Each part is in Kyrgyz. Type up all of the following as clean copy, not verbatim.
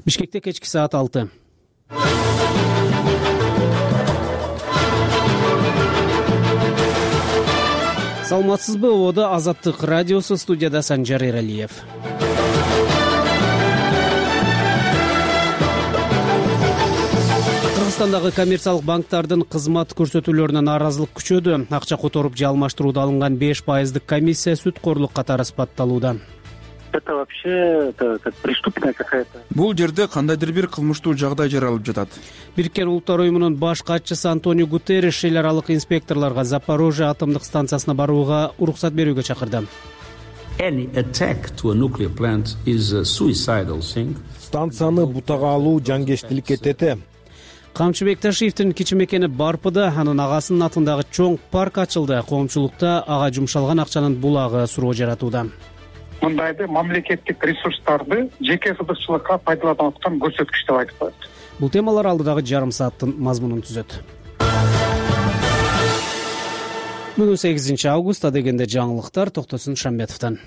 Бишкекте кечки саат 6. Саламатсызбы? Ободо Азаттык радиосу, студияда Санжар Эралиев. Кыргызстандагы коммерциялык банктардын кызмат көрсөтүүлөрүнө нааразылык күчөдү. Акча которуп же алмаштырууда алынган 5% комиссия сүткөрлүк катары сыпатталууда. Это вообще как преступная какая-то. Бул жерде кандайдыр бир кылмыштуу жагдай жаралып жатат. Бириккен Улуттар уюмунун баш катчысы Антонио Гутерриш эл аралык инспекторлорго Запорожье атомдук станциясына барууга уруксат берүүгө чакырды. Any attack to a nuclear plant is a suicidal thing. Станцияны бутага алуу жанкечтиликке тете. Камчыбек Ташиевдин кичи мекени Барпыда анын агасынын атындагы чоң парк ачылды. Коомчулукта ага жумшалган акчанын булагы суроо жаратууда. Мындайды мамлекеттик ресурстарды жеке кызыкчылыкка пайдаланып аткан көрсөткүч деп айтып коет. Бул темалар алдыдагы жарым сааттын мазмунун түзөт. Бүгүн 8 август, адегенде жаңылыктар Токтосун Шамбетовдон.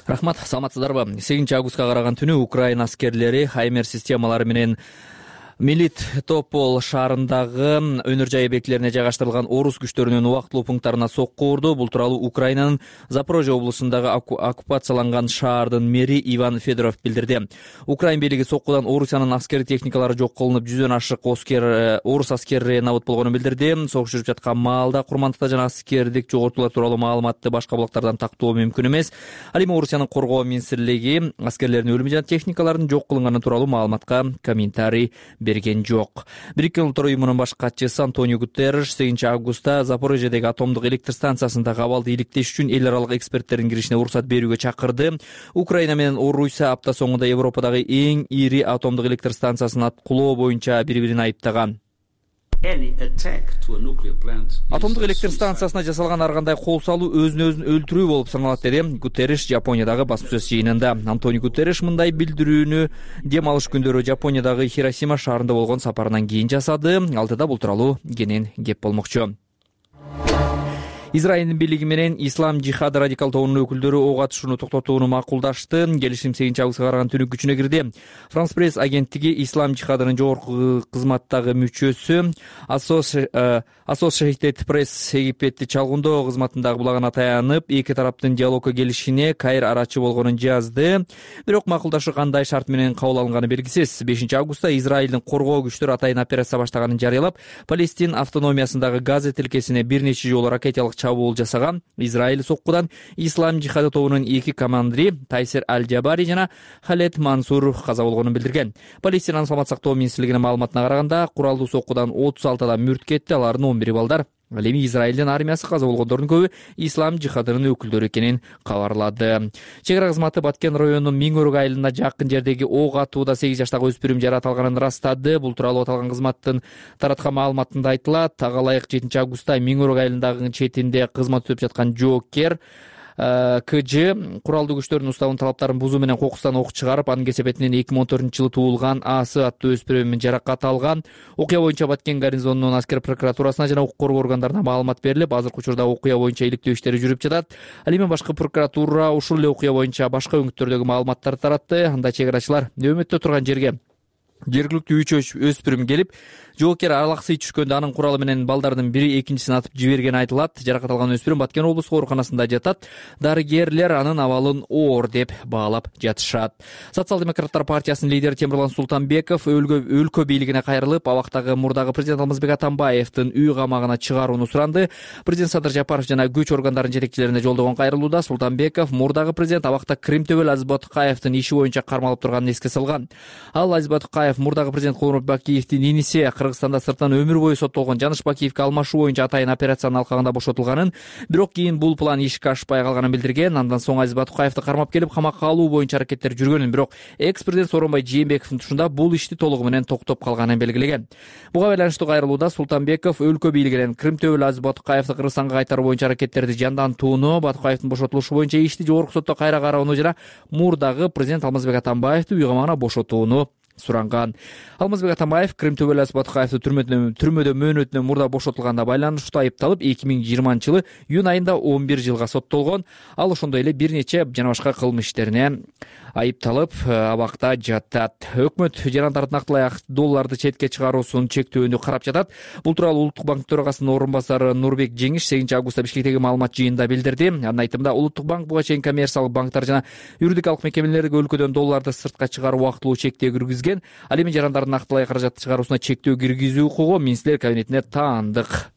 Рахмат, саламатсыздарбы? 8 августка караган түнү Украина аскерлери Хаймер системалары менен Мелитополь шаарындагы өнөр жай объектилерине жайгаштырылган орус күчтөрүнүн убактылуу пункттарына сокку урду. Бул тууралуу Украинанын Запорожье облусундагы оккупацияланган шаардын мэри Иван Федоров билдирди. Украин бийлиги соккудан Орусиянын аскери техникалары жок кылынып, 100дөн ашык орус аскери набыт болгонун билдирди. Согуш жүрүп жаткан маалда курмандыкта жана аскердик жоготуулар тууралуу маалыматты башка булактардан тактоо мүмкүн эмес. Ал эми Орусиянын коргоо министрлиги аскерлердин өлүмү жана техникалардын жок кылынганы тууралуу маалыматка комментарий берген жок. Бириккен Улуттар уюмунун баш катчысы Антонио Гутерриш 8 августта Запорожьедеги атомдук электр станциясындагы абалды иликтеш үчүн эл аралык эксперттердин киришине уруксат берүүгө чакырды. Украина менен Орусия апта соңунда Европадагы эң ири атомдук электр станциясын аткылоо боюнча бири-бирин айыптаган. Атомдук электр станциясына жасалган ар кандай кол салуу өзүн өлтүрүү болуп саналат, деди Гутерриш Жапониядагы басма-сөз жыйынында. Антонио Гутерриш мындай билдирүүнү дем алыш күндөрү Жапониядагы Хиросима шаарында болгон сапарынан кийин жасады. Алдыда бул тууралуу кенен кеп болмокчу. Израилдин бийлиги менен Ислам жихады радикал тобунун өкүлдөрү ок атышууну токтотууну макулдашты. Келишим 8 августка караган түнү күчүнө кирди. Франс пресс агенттиги Ислам жихадынын жогорку кызматтагы мүчөсү Associated Press Египетти чалгындоо кызматындагы булагына таянып, эки тараптын диалогко келишине Кайр арачы болгонун жазды. Бирок макулдашуу кандай шарт менен кабыл алынганы белгисиз. 5 августта Израилдин коргоо күчтөрү атайын операция баштаганын жарыялап, Палестин автономиясындагы Газа тилкесине бир нече жолу ракеталык чабуул жасаган. Израиль соккудан Ислам жихады тобунун эки командири Тайсер Аль-Джабари жана Халет Мансур каза болгонун билдирген. Палестинанын саламат сактоо министрлигинин маалыматына караганда, куралдуу соккудан 36 адам мүрт кетти, алардын 11 балдар. Ал эми Израилдин армиясы каза болгондордун көбү Ислам жихадынын өкүлдөрү экенин кабарлады. Чек ара кызматы Баткен районунун Миңөрөк айылына жакын жердеги ок атууда 8 жаштагы өспүрүм жаратылганын ырастады. Бул тууралуу аталган кызматтын тараткан маалыматында айтылат. Ага ылайык 7 августта Миңөрөк айылындагы четинде кызмат өтүп жаткан жоокер КЖ куралдуу күчтөрдүн уставынын талаптарын бузуу менен кокустан ок чыгарып, анын кесепетинен 2014-жылы туулган Асы аттуу өспүрүм жаракат алган. Окуя боюнча Баткен гарнизонунун аскер прокуратурасына жана укук коргоо органдарына маалымат берилип, азыркы учурда окуя боюнча иликтөө иштери жүрүп жатат. Ал эми башкы прокуратура ушул эле окуя боюнча башка өңүттөрдөгү маалыматтарды таратты. Анда чек арачылар нөөмөттө турган жерге жергиликтүү 3 өспүрүм келип, жоокер алаксый түшкөндө анын куралы менен балдардын бири экинчисин атып жибергени айтылат. Жаракат алган өспүрүм Баткен облустук ооруканасында жатат. Дарыгерлер анын абалын оор деп баалап жатышат. Социал-демократтар партиясынын лидери Темирлан Султанбеков өлкө бийлигине кайрылып, абактагы мурдагы президент Алмазбек Атамбаевдин үй камагына чыгарууну суранды. Президент Садыр Жапаров жана күч органдарынын жетекчилерине жолдогон кайрылууда Султанбеков мурдагы президент абакта Кримтөбөл Азиз Батыкаевдин иши боюнча кармалып турганын эске салган. Ал Азиз Батыкаев мурдагы президент Кооронбек Бакиевдин иниси Кыргызстанда сырттан өмүр бою соттолгон Жаныш Бакиевге алмашуу боюнча атайын операциянын алкагында бошотулганын, бирок кийин бул план ишке ашпай калганын билдирген. Андан соң Азиз Батыкаевди кармап келип камакка алуу боюнча аракеттер жүргөнүн, бирок экс-президент Сооронбай Жээнбековдун тушунда бул ишти толугу менен токтоп калганын белгилеген. Буга байланыштуу кайрылууда Султанбеков өлкө бийлигинен Кримтөбөл Азиз Батыкаевди Кыргызстанга кайтаруу боюнча аракеттерди жандантууну, Батыкаевдин бошотулушу боюнча ишти жогорку сотто кайра кароону жана мурдагы президент Алмазбек Атамбаевди үй камагына бошотууну суранган. Алмазбек Атамбаев Крым Төбөлөс Баткаевди түрмөдө мөөнөтүнөн мурда бошотулганга байланыштуу айыпталып 2020-жылы июнь айында 11 жылга соттолгон. Ал ошондой эле бир нече жана башка кылмыш иштерине айыпталып абакта жатат. Өкмөт жарандардын нактылай долларды четке чыгаруусун чектөөнү карап жатат. Бул тууралуу Улуттук банк төрагасынын орун басары Нурбек Жеңиш 8-августта Бишкектеги маалымат жыйынында билдирди. Анын айтымында Улуттук банк буга чейин коммерциялык банктар жана юридикалык мекемелерге өлкөдөн долларды сыртка чыгаруу убактылуу чектөө киргизген. Ал эми жарандардын нактылай каражат чыгаруусуна чектөө киргизүү укугу министрлер кабинетине таандык.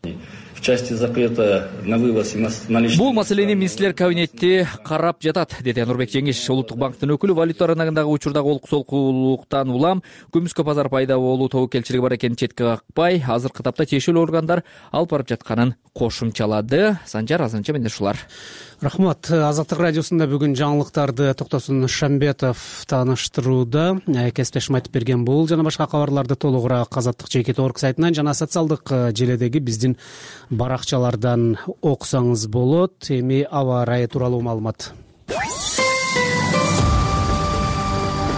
В части запрета на вывоз наличных. Бул маселени министрлер кабинети карап жатат, деди Нурбек Жеңиш. Улуттук банктын өкүлү валюта рыногундагы учурдагы олкусолкулуктан улам көмүскө базар пайда болуу тобокелчилиги бар экенин четке какпай, азыркы тапта тиешелүү органдар алып барып жатканын кошумчалады. Санжар азырынча менде ушулар. Рахмат. Азаттык радиосунда бүгүн жаңылыктарды Токтосун Шамбетов тааныштырууда. Кесиптешим айтып берген бул жана башка кабарларды толугураак Азаттык.org сайтынан жана социалдык желедеги биздин баракчалардан окусаңыз болот. Эми аба ырайы тууралуу маалымат.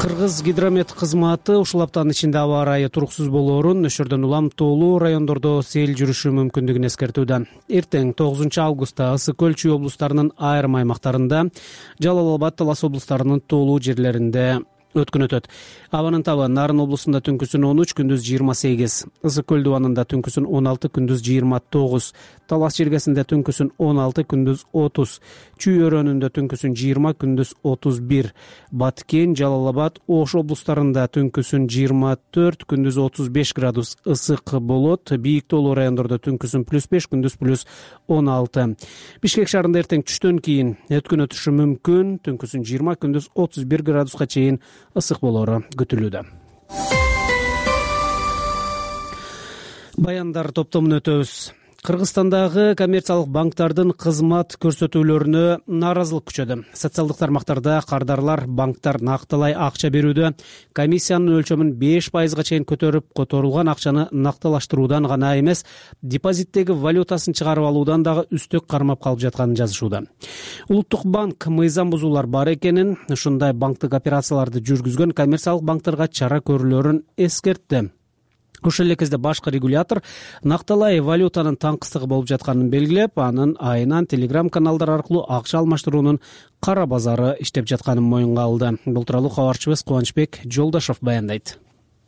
Кыргыз гидромет кызматы ушул аптанын ичинде аба ырайы туруксуз болоорун, өшөрдөн улам тоолуу райондордо сел жүрүшү мүмкүндүгүн эскертүүдө. Эртең 9-августта Ысык көл Чүй облустарынын айрым аймактарында, Жалал Абад, Талас облустарынын тоолуу жерлеринде өткөн өтөт. Абанын табы Нарын облусунда түнкүсүн 13, күндүз 28, Ысык көл дубанында түнкүсүн 16, күндүз 29, Талас жергесинде түнкүсүн 16, күндүз 30, Чүй өрөөнүндө түнкүсүн 20, күндүз 31, Баткен, Жалал Абад, Ош облустарында түнкүсүн 24, күндүз 35 градус ысык болот. Бийик тоолуу райондордо түнкүсүн +5, күндүз +16. Бишкек шаарында эртең түштөн кийин өткөн өтүшү мүмкүн. Түнкүсүн 20, күндүз 31 градуска чейин ысык болоору күтүлүүдө. Баяндар топтомун өтөбүз. Кыргызстандагы коммерциялык банктардын кызмат көрсөтүүлөрүнө нааразылык күчөдү. Социалдык тармактарда кардарлар банктар накталай акча берүүдө комиссиянын өлчөмүн 5%га чейин көтөрүп, которулган акчаны накталаштыруудан гана эмес, депозиттеги валютасын чыгарып алуудан дагы үстөк кармап калып жатканын жазышууда. Улуттук банк мыйзам бузуулар бар экенин, ушундай банктык операцияларды жүргүзгөн коммерциялык банктарга чара көрүлөрүн эскертти. Ошол эле кезде башкы регулятор накталай валютанын таңкыстыгы болуп жатканын белгилеп, анын айынан Telegram каналдар аркылуу акча алмаштыруунун кара базары иштеп жатканын моюнга алды. Бул тууралуу кабарчыбыз Кубанычбек Жолдошов баяндайт.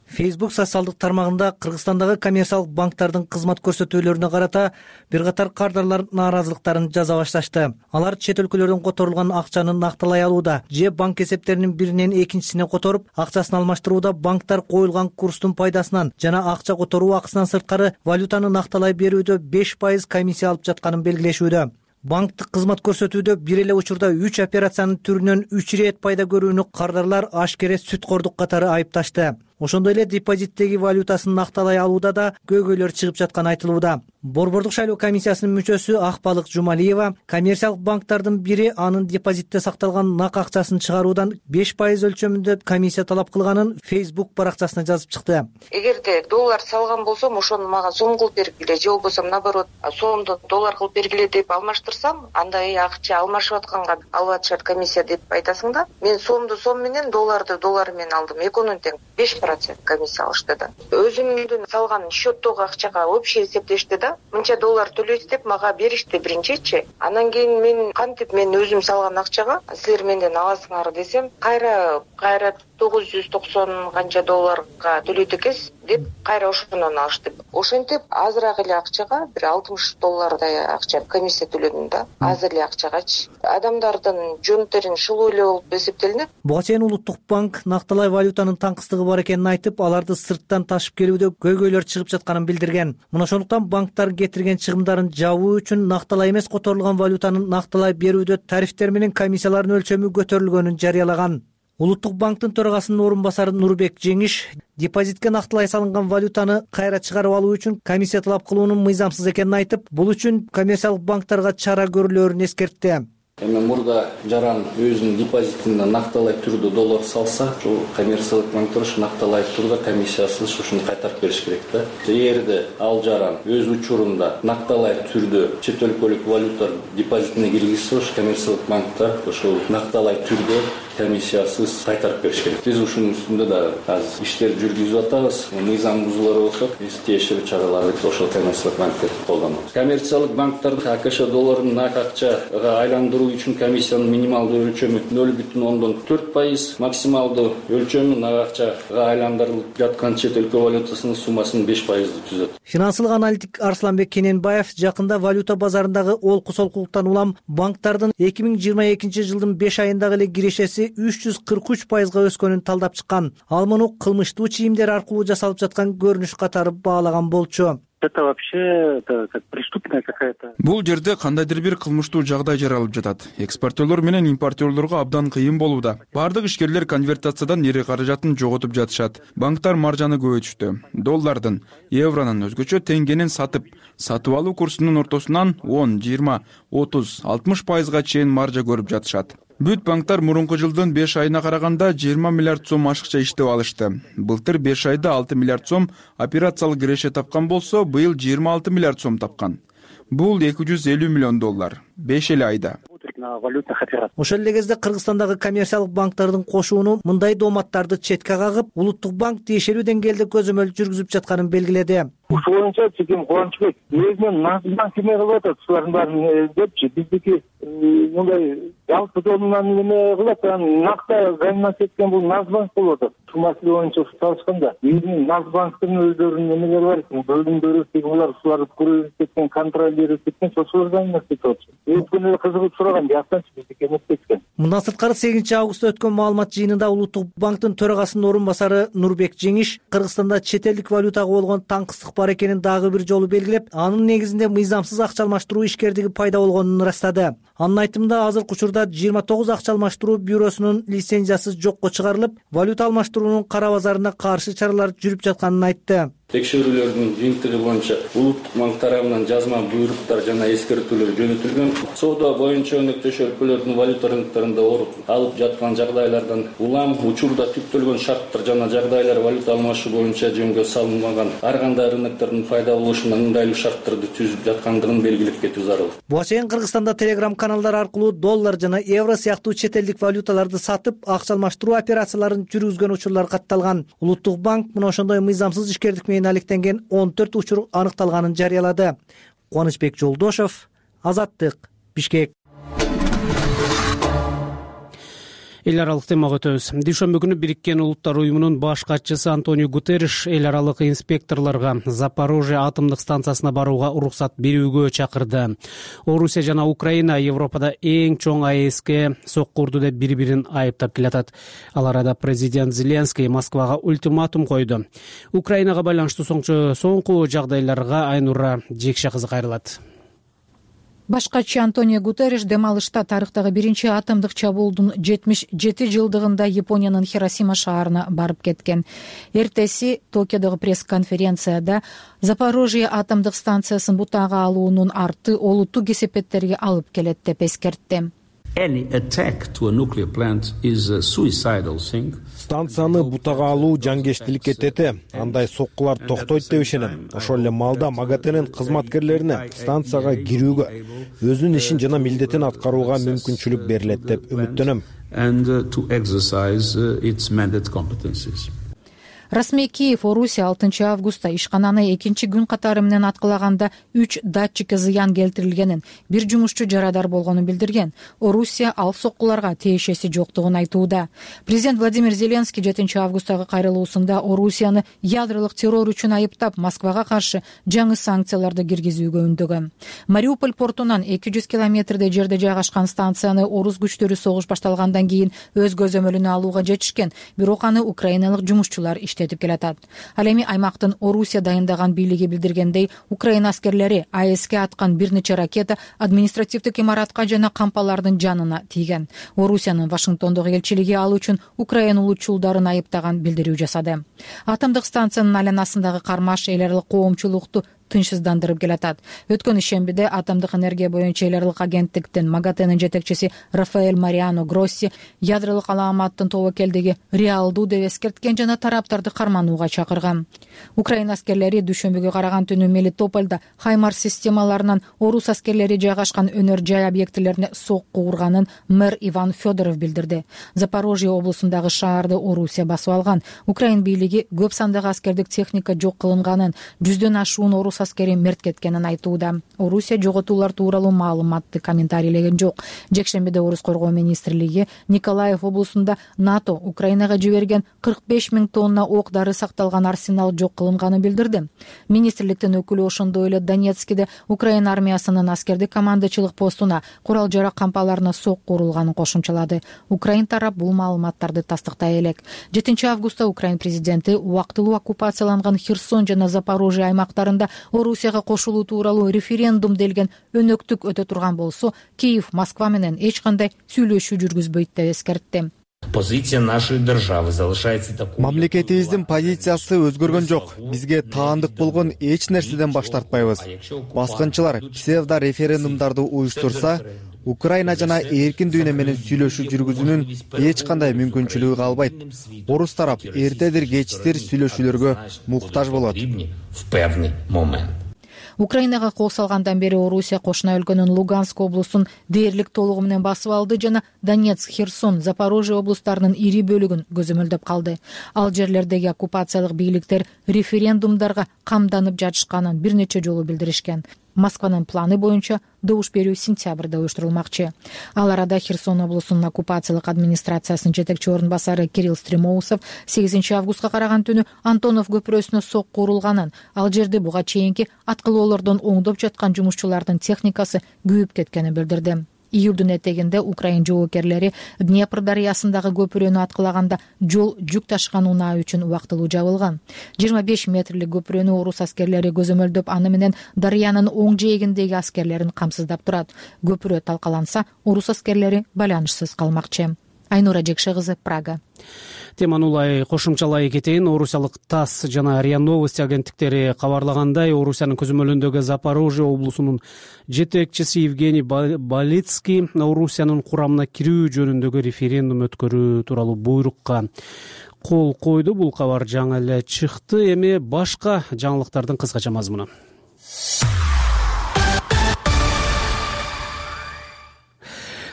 Facebook социалдык тармагында Кыргызстандагы коммерциялык банктардын кызмат көрсөтүүлөрүнө карата бир катар кардарлар нааразылыктарын жаза башташты. Алар чет өлкөлөрдөн которулган акчаны накталай алууда же банк эсептеринин биринен экинчисине которуп, акчасын алмаштырууда банктар коюлган курстун пайдасынан жана акча которуу акысынан сырткары валютаны накталай берүүдө 5% комиссия алып жатканын белгилешүүдө. Банктык кызмат көрсөтүүдө бир эле учурда 3 операциянын түрүнөн 3 ирет пайда көрүүнү кардарлар ашкере сүткордук катары айыпташты. Ошондой эле депозиттеги валютасын накталай алууда да көйгөйлөр чыгып жатканы айтылууда. Борбордук шайлоо комиссиясынын мүчөсү Акбалык Жумалиева коммерциялык банктардын бири анын депозитте сакталган нак акчасын чыгаруудан 5% өлчөмүндө комиссия талап кылганын Facebook баракчасына жазып чыкты. Эгерде доллар салган болсом, ошону мага сом кылып бергиле, же болбосо наоборот, сомду доллар кылып бергиле деп алмаштырсам, анда акча алмашып атканга алып атышат комиссия деп айтасың да. Мен сомду сом менен, долларды доллар менен алдым. Экөөнүн тең 5% комиссия алышты да. Өзүмдүн салган счеттогу акчага общий эсептешти да. Мынча доллар төлөйсүз деп мага беришти биринчичи. Анан кийин мен кантип мен өзүм салган акчага силер менден аласыңар десем, кайра 990 канча долларга төлөйт экенсиз деп кайра ошондон алышты. Ошентип азыраак эле акчага бир 60 доллардай акча комиссия төлөдүм да. Аз эле акчагачы. Адамдардын жөн терин шылуу эле болуп эсептелинет. Буга чейин Улуттук банк накталай валютанын таңкыстыгы бар экенин айтып, аларды сырттан ташып келүүдө көйгөйлөр чыгып жатканын билдирген. Мына ошондуктан банктар кетирген чыгымдарын жабуу үчүн накталай эмес которулган валютанын накталай берүүдө тарифтер менен комиссиялардын өлчөмү көтөрүлгөнүн жарыялаган. Улуттук банктын төрагасынын орун басары Нурбек Жеңиш депозитке накталай салынган валютаны кайра чыгарып алуу үчүн комиссия талап кылуунун мыйзамсыз экенин айтып, бул үчүн коммерциялык банктарга чара көрүлөрүн эскертти. Эми мурда жаран өзүнүн депозитине накталай түрдө доллар салса, ушул коммерциялык банктар ушу накталай түрдө комиссиясыз ушуну кайтарып бериш керек да. Эгерде ал жаран өз учурунда накталай түрдө чет өлкөлүк валюта депозитине киргизсе, ушу коммерциялык банктар ушул накталай түрдө комиссиясыз кайтарып бериш керек. Биз ушунун үстүндө да азыр иштер жүргүзүп атабыз. Мыйзам бузуулар болсо биз тиешелүү чараларды ошол коммерциялык банктерди колдонобуз. Коммерциялык банктарды АКШ долларын нак акчага айландыруу үчүн комиссиянын минималдуу өлчөмү 0,4%, максималдуу өлчөмү нак акчага айландырылып жаткан чет өлкө валютасынын суммасынын 5%-ды түзөт. Финансылык аналитик Арсланбек Кененбаев жакында валюта базарындагы олку солкулуктан улам банктардын 2022 жылдын 5 айындагы эле кирешеси 343%га өскөнүн талдап чыккан. Ал муну кылмыштуу чийимдер аркылуу жасалып жаткан көрүнүш катары баалаган болчу. Это вообще как преступная какая-то. Бул жерде кандайдыр бир кылмыштуу жагдай жаралып жатат. Экспортерлор менен импортерлорго абдан кыйын болууда. Бардык ишкерлер конвертациядан эри каражатын жоготуп жатышат. Банктар маржаны көбөйтүштү. Доллардын, евронун, өзгөчө теңгенин сатып алуу курсунун ортосунан 10, 20, 30, 60%га чейин маржа көрүп жатышат. Бүт банктар мурунку жылдын 5 айына караганда 20 миллиард сом ашыкча иштеп алышты. Былтыр 5 айда 6 миллиард сом операциялык киреше тапкан болсо, быйыл 26 миллиард сом тапкан. Бул 250 миллион доллар. 5 эле айда. Ошол эле кезде Кыргызстандагы коммерциялык банктардын кошууну мындай дооматтарды четке кагып, улуттук банк тиешелүү деңгээлде көзөмөл жүргүзүп жатканын белгиледи. Ушул боюнча Чеким Кубанычбек өзүнүн Нацбанк эме кылып атат, шулардын баарын депчи, биздики мындай жалпы жолунан эме кылат, накта займдап кеткен бул Нацбанк болуп атат. Ушул маселе боюнча чалышканда биздин Нацбанктын өздөрүнүн эмелери бар экен, бөлүмдөрү, булар ушуларды көрүп кеткен, контролдер кеткен, ошолор займдап кетип атышат. Өткөн эле кызыгып сураган, жактанчы биздики эмес кеткен. Мындан сырткары 8 августта өткөн маалымат жыйынында улуттук банктын төрагасынын орун басары Нурбек Жеңиш Кыргызстанда чет элдик валютага болгон таңкыстык бар экенин дагы бир жолу белгилеп, анын негизинде мыйзамсыз акча алмаштыруу ишкердиги пайда болгонун ырастады. Анын айтымында азыркы учурда 29 акча алмаштыруу бюросунун лицензиясы жокко чыгарылып, валюта алмаштыруунун кара базарына каршы чаралар жүрүп жатканын айтты. Текшерүүлөрдүн жыйынтыгы боюнча улуттук банк тарабынан жазма буйруктар жана эскертүүлөр жөнөтүлгөн. Соода боюнча өнөктөш өлкөлөрдүн валюта рыноктарында оруп алып жаткан жагдайлардан улам учурда түптөлгөн шарттар жана жагдайлар валюта алмашуу боюнча жөнгө салынбаган ар кандай рыноктордун пайда болушуна ыңгайлуу шарттарды түзүп жаткандыгын белгилеп кетүү зарыл. Буга чейин Кыргызстанда телеграм каналдар аркылуу доллар жана евро сыяктуу чет элдик валюталарды сатып, акча алмаштыруу операцияларын жүргүзгөн учурлар катталган. Улуттук банк мына ошондой мыйзамсыз ишкердик менен алектенген 14 учур аныкталганын жарыялады. Кубанычбек Жолдошов, Азаттык, Бишкек. Эл аралык темага өтөбүз. Дүйшөмбү күнү Бириккен Улуттар уюмунун баш катчысы Антонио Гутерриш эл аралык инспекторлорго Запорожье атомдук станциясына барууга уруксат берүүгө чакырды. Орусия жана Украина Европада эң чоң АЭСке сокку урду деп бири-бирин айыптап келатат. Ал арада президент Зеленский Москвага ультиматум койду. Украинага байланыштуу соңку жагдайларга Айнура Жекше кызы кайрылат. Баш катчы Антонио Гутерриш дем алышта тарыхтагы биринчи атомдук чабуулдун 77 жылдыгында Япониянын Хиросима шаарына барып кеткен. Эртеси Токиодогу пресс-конференцияда Запорожье атомдук станциясын бутага алуунун арты олуттуу кесепеттерге алып келет деп эскертти. Станцияны бутага алуу жангештиликке тети. Андай соккулар токтойт деп ишенем. Ошол эле маалда МАГАТЭнин кызматкерлерине станцияга кирүүгө, өзүнүн ишин жана милдетин аткарууга мүмкүнчүлүк берилет деп үмүттөнөм. Расмий Киев Орусия 6 августта ишкананы экинчи күн катары менен аткылаганда 3 датчикке зыян келтирилгенин, бир жумушчу жарадар болгонун билдирген. Орусия ал соккуларга тиешеси жоктугун айтууда. Президент Владимир Зеленский 7 августтагы кайрылуусунда Орусияны ядролук террор үчүн айыптап, Москвага каршы жаңы санкцияларды киргизүүгө үндөгөн. Мариуполь портунан 200 километрдей жерде жайгашкан станцияны орус күчтөрү согуш башталгандан кийин өз көзөмөлүнө алууга жетишкен, бирок аны украиналык жумушчулар иштетип келатат. Ал эми аймактын Орусия дайындаган бийлиги билдиргендей, Украина аскерлери АЭСке аткан бир нече ракета административдик имаратка жана кампалардын жанына тийген. Орусиянын Вашингтондогу элчилиги ал үчүн Украина улутчулдарын айыптаган билдирүү жасады. Атомдук станциянын айланасындагы кармаш эл аралык коомчулукту тынчсыздандырып келатат. Өткөн ишембиде атомдук энергия боюнча эл аралык агенттиктин МАГАТЭнин жетекчиси Рафаэль Мариано Гросси ядролук алааматтын тобокелдиги реалдуу деп эскерткен жана тараптарды карманууга чакырган. Украина аскерлери дүйшөмбүгө караган түнү Мелитопольдо Хаймарс системаларынан орус аскерлери жайгашкан өнөр жай объектилерине сокку урганын мэр Иван Федоров билдирди. Запорожье облусундагы шаарды Орусия басып алган. Украин бийлиги көп сандагы аскердик техника жок кылынганын, 100дөн ашуун орус аскери мерт кеткенин айтууда. Орусия жоготуулар тууралуу маалыматты комментарийлеген жок. Жекшембиде Орус коргоо министрлиги Николаев облусунда НАТО Украинага жиберген 45 000 тонна ок дары сакталган арсенал жок кылынганын билдирди. Министрликтин өкүлү ошондой эле Донецкиде Украина армиясынын аскердик командачылык постуна, курал жарак кампаларына сокку урулганын кошумчалады. Украин тарап бул маалыматтарды тастыктай элек. 7-августта Украин президенти убактылуу оккупацияланган Херсон жана Запорожье аймактарында Орусияга кошулуу тууралуу референдум делген өнөктүк өтө турган болсо, Киев Москва менен эч кандай сүйлөшүү жүргүзбөйт деп эскертти. Позиция нашей державы залишается такой. Мамлекетибиздин позициясы өзгөргөн жок. Бизге таандык болгон эч нерседен баш тартпайбыз. Баскынчылар псевдо референдумдарды уюштурса, Украина жана эркин дүйнө менен сүйлөшүү жүргүзүүнүн эч кандай мүмкүнчүлүгү калбайт. Орус тарап эртедир кечтир сүйлөшүүлөргө муктаж болот. Украинага кол салгандан бери Орусия кошуна өлкөнүн Луганск облусун дээрлик толугу менен басып алды жана Донецк, Херсон, Запорожье облустарынын ири бөлүгүн көзөмөлдөп калды. Ал жерлердеги оккупациялык бийликтер референдумдарга камданып жатышканын бир нече жолу билдиришкен. Москванын планы боюнча добуш берүү сентябрда уюштурулмакчы. Ал арада Херсон облусунун оккупациялык администрациясынын жетекчи орун басары Кирилл Стремоусов 8-августка караган түнү Антонов көпүрөсүнө сокку урулганын, ал жерде буга чейинки аткылоолордон оңдоп жаткан жумушчулардын техникасы күйүп кеткенин билдирди. Июлдун этегинде Украин жоокерлери Днепр дарыясындагы көпүрөнү аткылаганда жол жүк ташыган унаа үчүн убактылуу жабылган. 25 метрлик көпүрөнү орус аскерлери көзөмөлдөп, аны менен дарыянын оң жээгиндеги аскерлерин камсыздап турат. Көпүрө талкаланса, орус аскерлери байланышсыз калмакчы. Айнура Жекше кызы, Прага. Теманы улай кошумчалай кетейин. Орусиялык ТАСС жана РИА Новости агенттиктери кабарлагандай, Орусиянын көзөмөлүндөгү Запорожье облусунун жетекчиси Евгений Балицкий Орусиянын курамына кирүү жөнүндөгү референдум өткөрүү тууралуу буйрукка кол койду. Бул кабар жаңы эле чыкты. Эми башка жаңылыктардын кыскача мазмуну.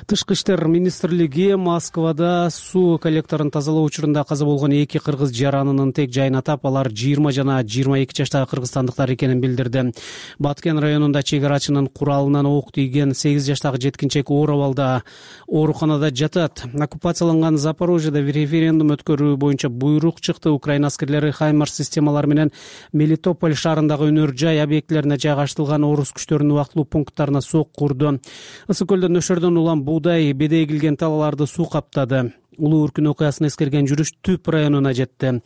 Тышкы иштер министрлиги Москвада суу коллекторун тазалоо учурунда каза болгон 2 кыргыз жаранынын тек жайын атап, алар 20 жана 22 жаштагы кыргызстандыктар экенин билдирди. Баткен районунда чек арачынын куралынан ок тийген 8 жаштагы жеткинчек оор абалда ооруканада жатат. Оккупацияланган Запорожьеда референдум өткөрүү боюнча буйрук чыкты. Украина аскерлери Хаймарс системалары менен Мелитополь шаарындагы өнөр жай объектилерине жайгаштырылган орус күчтөрүнүн убактылуу пункттарына сокку урду. Ысык көлдө нөшөрдөн улам буудай, беде эгилген талаларды суу каптады. Улуу үркүн окуясын эскерген жүрүш Түп районуна жетти.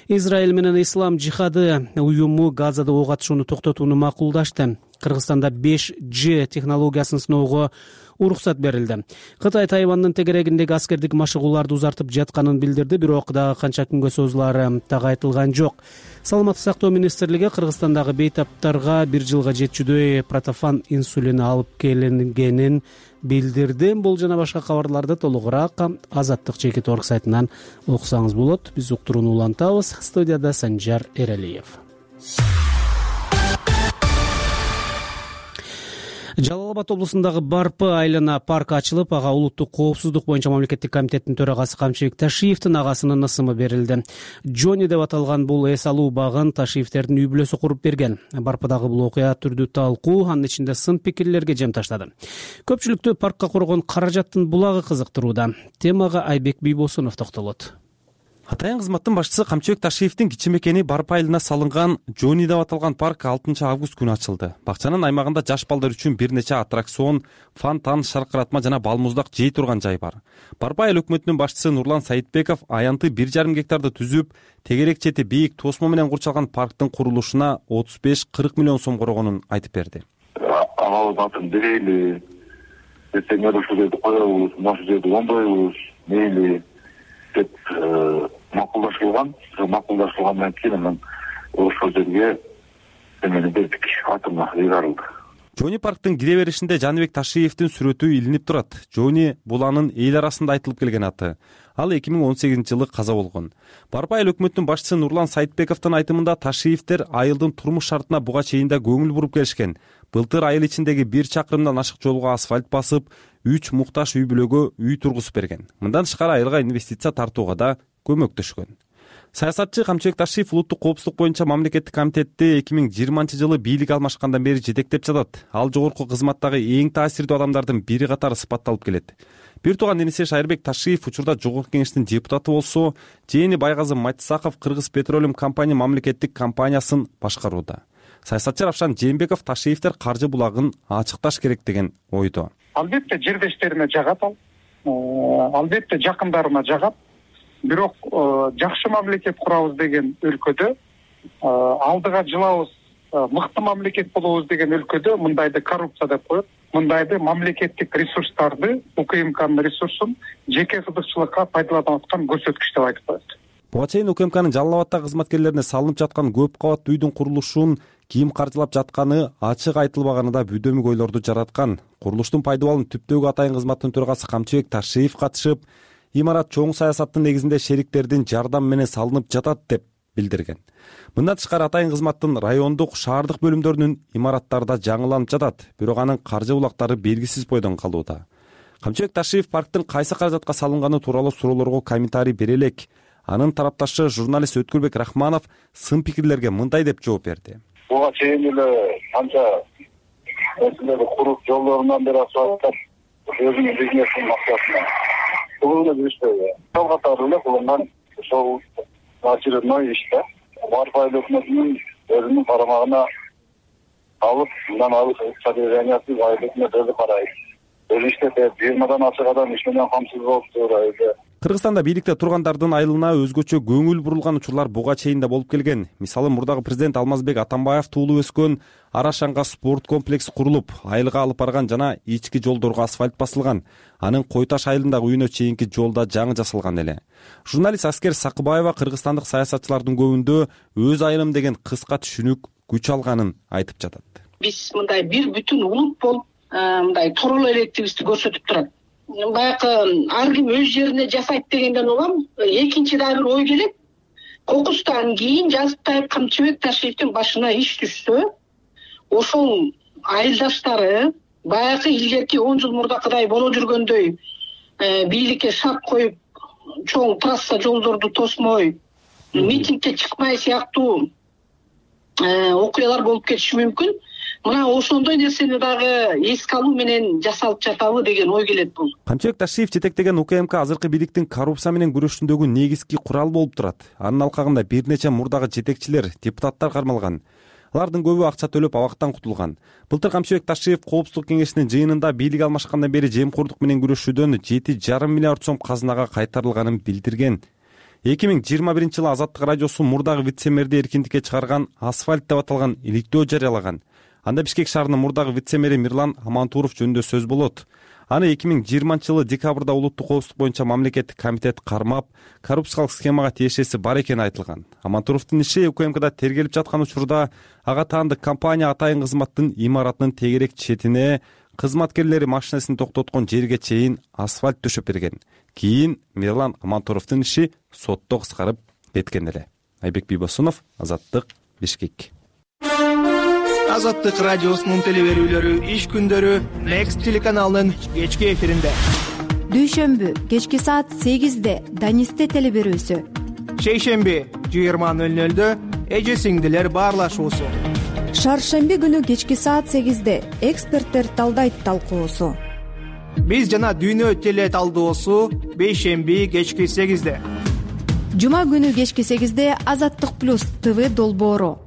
Израиль менен Ислам жихады уюму Газада ок атышууну токтотууну макулдашты. Кыргызстанда 5G технологиясын сыноого уруксат берилди. Кытай Тайвандын тегерегиндеги аскердик машыгууларды узартып жатканын билдирди, бирок дагы канча күнгө созулаары так айтылган жок. Саламаттык сактоо министрлиги Кыргызстандагы бейтаптарга 1 жылга жетчүдөй протофан инсулини алып келингенин билдирди. Бул жана башка кабарларды толугураак Азаттык Чекит.org сайтынан окусаңыз болот. Биз уктурууну улантабыз. Студияда Санжар Эралиев. Жалал Абад облусундагы Барпы айлана парк ачылып, ага улуттук коопсуздук боюнча мамлекеттик комитеттин төрагасы Камчыбек Ташиевдин агасынын ысымы берилди. Джони деп аталган бул эс алуу багын Ташиевдердин үй бүлөсү куруп берген. Барпыдагы бул окуя түрдүү талкуу, анын ичинде сын пикирлерге жем таштады. Көпчүлүктү паркка коргон каражаттын булагы кызыктырууда. Темага Айбек Бийбосунов токтолот. Атайын кызматтын башчысы Камчыбек Ташиевдин кичи мекени Барпы айылына салынган Джони деп аталган парк 6 август күнү ачылды. Бакчанын аймагында жаш балдар үчүн бир нече аттракцион, фонтан, шаркыратма жана балмуздак жей турган жай бар. Барпы айыл өкмөтүнүн башчысы Нурлан Саитбеков аянты 1,5 гектарды түзүп, тегерек чети бийик тосмо менен курчалган парктын курулушуна 35-40 миллион сом коргонун айтып берди. Алабатын берели, эртең ушул жерди коебуз, ушул жерди оңдойбуз, мейли деп макулдашылгандан кийин анан ошол жерге эмени бердик, атыма ыйгарылды. Жони парктын кире беришинде Жаныбек Ташиевдин сүрөтү илинип турат. Жони бул анын эл арасында айтылып келген аты. Ал 2018-жылы каза болгон. Барпа айыл өкмөттүн башчысы Нурлан Сайтбековдун айтымында Ташиевдер айылдын турмуш шартына буга чейин да көңүл буруп келишкен. Былтыр айыл ичиндеги 1 чакырымдан ашык жолго асфальт басып, 3 муктаж үй бүлөгө үй тургузуп берген. Мындан тышкары айылга инвестиция тартууга да көмөктөшкөн. Саясатчы Камчыбек Ташиев улуттук коопсуздук боюнча мамлекеттик комитетти 2020-жылы бийлик алмашкандан бери жетектеп жатат. Ал жогорку кызматтагы эң таасирдүү адамдардын бири катары сыпатталып келет. Бир тууган иниси Шайырбек Ташиев учурда жогорку кеңештин депутаты болсо, жээни Байгазы Матисаков Кыргыз Петролиум компания мамлекеттик компаниясын башкарууда. Саясатчы Равшан Жээнбеков Ташиевдер каржы булагын ачыкташ керек деген ойдо. Албетте жердештериме жагат ал. Албетте жакындарыма жагат. Бирок жакшы мамлекет курабыз деген өлкөдө, алдыга жылабыз, мыкты мамлекет болобуз деген өлкөдө мындайды коррупция деп коет. Мындайды мамлекеттик ресурстарды, УКМКнын ресурсун жеке кызыкчылыкка пайдаланып аткан көрсөткүч деп айтып коет. Буга чейин УКМКнын Жалал абаддагы кызматкерлерине салынып жаткан көп кабаттуу үйдүн курулушун ким каржылап жатканы ачык айтылбаганы да бүдөмүк ойлорду жараткан. Курулуштун пайда балын түптөгү атайын кызматтын төрагасы Камчыбек Ташиев катышып, имарат чоң саясаттын негизинде шериктердин жардамы менен салынып жатат деп билдирген. Мындан тышкары атайын кызматтын райондук, шаардык бөлүмдөрүнүн имараттары да жаңыланып жатат, бирок анын каржы булактары белгисиз бойдон калууда. Камчыбек Ташиев парктын кайсы каражатка салынганы тууралуу суроолорго комментарий бере элек. Анын тарапташы журналист Өткүлбек Рахманов сын пикирлерге мындай деп жооп берди. Буга чейин эле канча нерселерди куруп, жолдорунан бери асфальттап, өзүнүн бизнесинин максатына бул эле жүрүштө. Сол катары эле кылынган ошол очередной иш да. Барпа айыл өкмөтүнүн өзүнүн карамагына алып, мындан алып содержаниясы айыл өкмөт өзү карайт. Өз иштете 20 ашык адам иш менен камсыз болуптур айылда. Кыргызстанда бийликте тургандардын айылына өзгөчө көңүл бурулган учурлар буга чейин да болуп келген. Мисалы, мурдагы президент Алмазбек Атамбаев туулуп өскөн Арашанга спорт комплекси курулуп, айылга алып барган жана ички жолдорго асфальт басылган. Анын Кой Таш айылындагы үйүнө чейинки жолда жаңы жасалган эле. Журналист Аскер Сакыбаева кыргызстандык саясатчылардын көбүндө өз айылым деген кыска түшүнүк күч алганын айтып жатат. Биз мындай бир бүтүн улут болуп, мындай тороло электибизди көрсөтүп турат. Баягы ар ким өз жерине жасайт дегенден улам экинчи да бир ой келет. Кокустан кийин жазыптай Камчыбек Ташиевдин башына иш түшсө, ошол айылдаштары баягы илгерки 10 жыл мурдакыдай боло жүргөндөй бийликке шарт коюп, чоң трасса жолдорду тосмой, митингге чыкмай сыяктуу окуялар болуп кетиши мүмкүн. Мына ошондой нерсени дагы эске алуу менен жасалып жатабы деген ой келет бул. Камчыбек Ташиев жетектеген УКМК азыркы бийликтин коррупция менен күрөшүндөгү негизги курал болуп турат. Анын алкагында бир нече мурдагы жетекчилер, депутаттар кармалган. Алардын көбү акча төлөп абактан кутулган. Былтыр Камчыбек Ташиев коопсуздук кеңешинин жыйынында бийлик алмашкандан бери жемкордук менен күрөшүүдөн 7,5 миллиард сом казынага кайтарылганын билдирген. 2021-жылы Азаттык радиосу мурдагы вице-мэрди эркиндикке чыгарган асфальт деп аталган иликтөө жарыялаган. Анда Бишкек шаарынын мурдагы вице-мэри Мирлан Амантуров жөнүндө сөз болот. Аны 2020-жылы декабрда улуттук коопсуздук боюнча мамлекеттик комитет кармап, коррупциялык схемага тиешеси бар экени айтылган. Амантуровдун иши УКМКда тергелип жаткан учурда ага таандык компания атайын кызматтын имаратынын тегерек четине кызматкерлери машинесин токтоткон жерге чейин асфальт төшөп берген. Кийин Мирлан Амантуровдун иши сотто кыскарып кеткен эле. Айбек Бийбосунов, Азаттык, Бишкек. Азаттык радиосунун телеберүүлөрү иш күндөрү Next телеканалынын кечки эфиринде. Дүйшөмбү кечки саат 8-де Данисте телеберүүсү. Шейшемби 20:00-дө эже сиңдилер баарлашуусу. Шаршемби күнү кечки саат 8-де эксперттер талдайт талкуусу. Биз жана дүйнө теле талдоосу бейшемби кечки 8-де. Жума күнү кечки 8-де Азаттык плюс ТВ долбоору.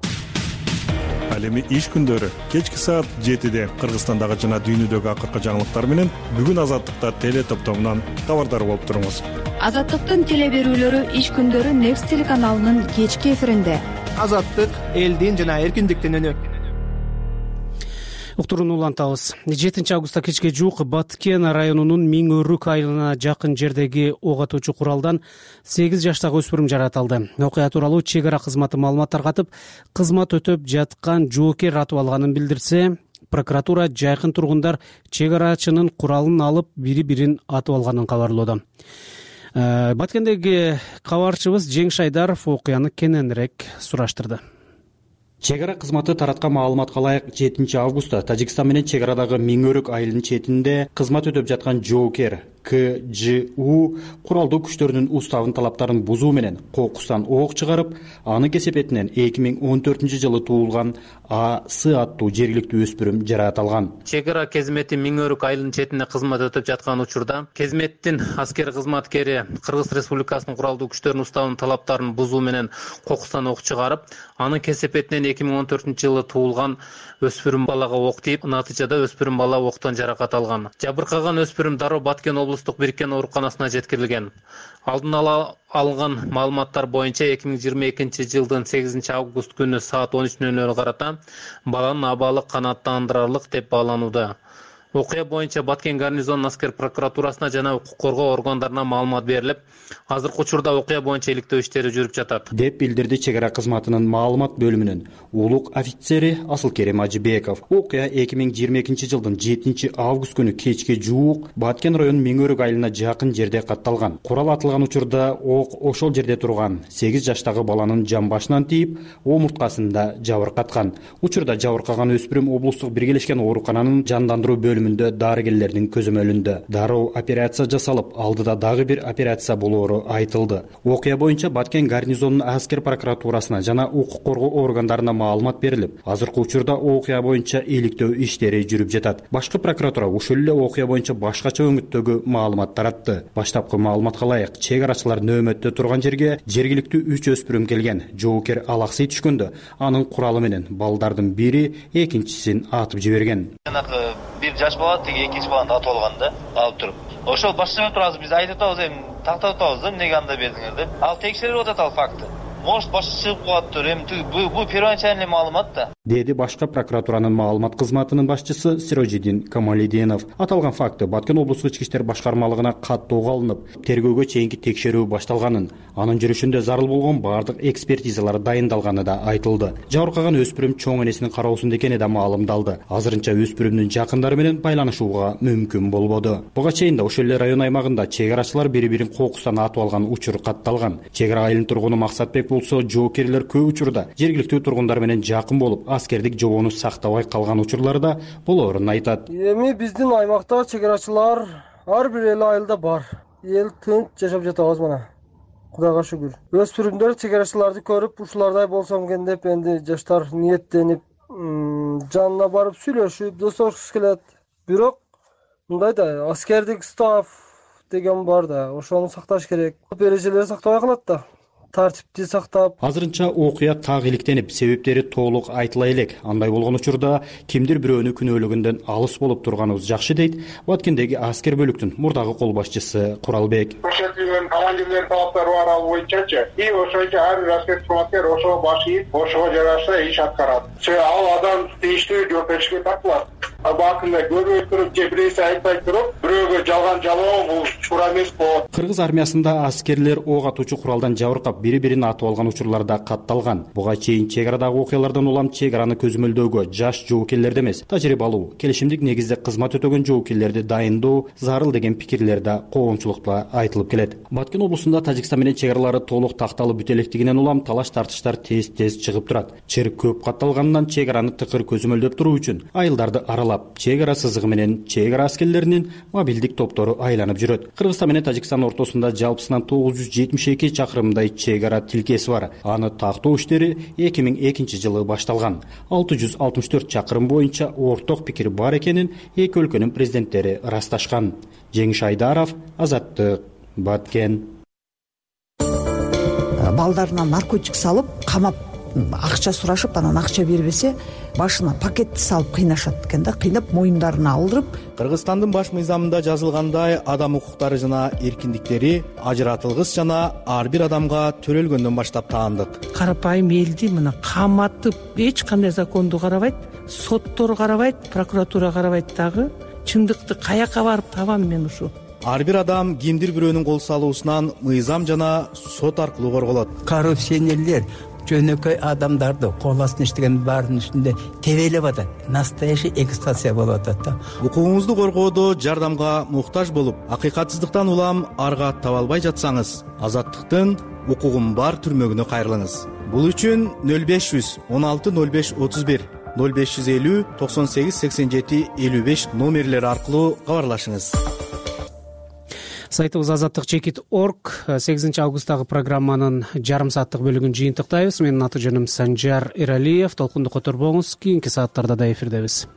Ал эми иш күндөрү кечки саат 7-де Кыргызстандагы жана дүйнөдөгү акыркы жаңылыктар менен бүгүн Азаттыкта теле топтомунан кабардар болуп туруңуз. Азаттыктын телеберүүлөрү иш күндөрү Next телеканалынын кечки эфиринде. Азаттык элдин жана эркиндиктин үнү. Уктурууну улантабыз. 7 августта кечке жуук Баткен районунун Миң Өрүк айылына жакын жердеги ок атуучу куралдан 8 жаштагы өспүрүм жаратылды. Окуя тууралуу чек ара кызматы маалымат таркатып, кызмат өтөп жаткан жоокер атып алганын билдирсе, прокуратура жайкын тургундар чек арачынын куралын алып бири-бирин атып алганын кабарлоодо. Баткендеги кабарчыбыз Жеңиш Айдаров окуяны кененирээк сураштырды. Чек ара кызматы тараткан маалыматка ылайык 7 августта Тажикстан менен чек арадагы Миң Өрүк айылынын четинде кызмат өтөп жаткан жоокер КЖУ куралдуу күчтөрүнүн уставын талаптарын бузуу менен кокустан ок чыгарып, анын кесепетинен 2014-жылы туулган АС аттуу жергиликтүү өспүрүм жараат алган. Чек ара кезмети Миң Өрүк айылынын четинде кызмат өтөп жаткан учурда кезметтин аскер кызматкери Кыргыз Республикасынын куралдуу күчтөрүнүн уставынын талаптарын бузуу менен кокустан ок чыгарып, анын кесепетинен 2014-жылы туулган өспүрүм балага ок тийип, натыйжада өспүрүм бала октон жаракат алган. Жабыркаган өспүрүм дароо Баткен облустук бириккен ооруканасына жеткирилген. Алдын ала алынган маалыматтар боюнча 2022-жылдын 8 август күнү саат 13:00 карата баланын абалы канааттандырарлык деп бааланууда. Окуя боюнча Баткен гарнизонунун аскер прокуратурасына жана укук коргоо органдарына маалымат берилип, азыркы учурда окуя боюнча иликтөө иштери жүрүп жатат, деп билдирди чек ара кызматынын маалымат бөлүмүнүн улук офицери Асылкерим Ажыбеков. Окуя 2022-жылдын 7 август күнү кечке жуук Баткен районунун Миң Өрүк айылына жакын жерде катталган. Курал атылган учурда ок ошол жерде турган 8 жаштагы баланын жамбашынан тийип, омурткасында жабыркаткан. Учурда жабыркаган өспүрүм облустук биргелешкен оорукананын жандандыруу бөлүмүндө дарыгерлердин көзөмөлүндө. Дароо операция жасалып, алдыда дагы бир операция болоору айтылды. Окуя боюнча Баткен гарнизонунун аскер прокуратурасына жана укук коргоо органдарына маалымат берилип, азыркы учурда окуя боюнча иликтөө иштери жүрүп жатат. Башкы прокуратура ушул эле окуя боюнча башкача өңүттөгү маалымат таратты. Баштапкы маалыматка ылайык, чек арачылар нөөмөттө турган жерге жергиликтүү 3 өспүрүм келген. Жоокер алаксый түшкөндө анын куралы менен балдардын бири экинчисин атып жиберген. Бир жаш бала тиги экинчи баланы атып алган да, алып туруп. Ошол башчы турабыз, биз айтып атабыз, эми тактап атабыз да, эмнеге андай бердиңер деп. Ал текшерип атат ал факты. Может башка чыгып калаттыр, эми бул первоначальный маалымат да, деди башка прокуратуранын маалымат кызматынын башчысы Сирожидин Камалидинов. Аталган факты Баткен облустук ички иштер башкармалыгына каттоого алынып, тергөөгө чейинки текшерүү башталганын, анын жүрүшүндө зарыл болгон бардык экспертизалар дайындалганы да айтылды. Жабыркаган өспүрүм чоң энесинин кароосунда экени да маалымдалды. Азырынча өспүрүмдүн жакындары менен байланышууга мүмкүн болбоду. Буга чейин да ошол эле район аймагында чек арачылар бири-бирин кокустан атып алган учур катталган. Чек ара айылынын тургуну Максатбек болсо, жоокерлер көп учурда жергиликтүү тургундар менен жакын болуп, аскердик жобоону сактабай калган учурларда болоорун айтат. Эми биздин аймакта чек арачылар ар бир эле айылда бар. Эл тынч жашап жатабыз мына. Кудайга шүгүр. Өспүрүмдөр чек арачыларды көрүп, ушулардай болсом экен деп энди жаштар ниеттенип, жанына барып сүйлөшүп, достошкусу келет. Бирок мындай да аскердик став деген бар да, ошону сакташ керек. Эрежелерди сактабай калат да. Тартипти сактап. Азырынча окуя так иликтенип, себептери толук айтыла элек. Андай болгон учурда кимдир бирөөнү күнөөлөгөндөн алыс болуп турганыбыз жакшы дейт Баткендеги аскер бөлүктүн мурдагы кол башчысы Куралбек. Көрсөтүлгөн командирлердин талаптары бар ал боюнчачы. И ошойчо ар бир аскер кызматкер ошого баш ийип, ошого жараша иш аткарат. Ал адам тийиштүү жоопкерчиликке тартылат. Бакында көрбөй туруп, же бирөөсү айтпай туруп, бирөөгө жалган жалоо бул туура эмес болот. Кыргыз армиясында аскерлер ок атуучу куралдан жабыркап бири-бирин атып алган учурларда катталган. Буга чейин чек арадагы окуялардан улам чек араны көзөмөлдөөгө жаш жоокерлерди эмес, тажрыйбалуу, келишимдик негизде кызмат өтөгөн жоокерлерди дайындоо зарыл деген пикирлер да коомчулукта айтылып келет. Баткен облусунда Тажикстан менен чек аралары толук такталып бүтө электигинен улам талаш-тартыштар тез чыгып турат. Чыр көп катталганынан чек араны тыкыр көзөмөлдөп туруу үчүн айылдарды аралап, чек ара сызыгы менен чек ара аскерлеринин мобилдик топтору айланып жүрөт. Кыргызстан менен Тажикстан ортосунда жалпысынан 972 чакырымдай чек ара тилкеси бар. Аны тактоо иштери 2002-жылы башталган. 664 чакырым боюнча орток пикир бар экенин эки өлкөнүн президенттери ырасташкан. Жеңиш Айдаров, Азаттык, Баткен. Балдарына наркотик салып, камап, акча сурашып, анан акча бербесе, башына пакетти салып кыйнашат экен да, кыйнап моюндарына алдырып. Кыргызстандын баш мыйзамында жазылгандай, адам укуктары жана эркиндиктери ажыратылгыс жана ар бир адамга төрөлгөндөн баштап таандык. Карапайым элди мына каматып, эч кандай законду карабайт, соттор карабайт, прокуратура карабайт дагы. Чындыкты каяка барып табам мен ушу? Ар бир адам кимдир бирөөнүн кол салуусунан мыйзам жана сот аркылуу корголот. Коррупционерлер жөнөкөй адамдарды кол астына иштеген баарынын үстүндө тебелеп атат. Настоящий эксплуатация болуп атат да. Укугуңузду коргоодо жардамга муктаж болуп, акыйкатсыздыктан улам арга таба албай жатсаңыз, Азаттыктын укугум бар түрмөгүнө кайрылыңыз. Бул үчүн 0500 16 05 31 0550 98 87 55 номерлери аркылуу кабарлашыңыз. Сайтыбыз azattik.org 8 августтагы программанын жарым сааттык бөлүгүн жыйынтыктайбыз. Менин аты жөнүм Санжар Эралиев. Толкунду которбоңуз. Кийинки сааттарда да эфирдебиз.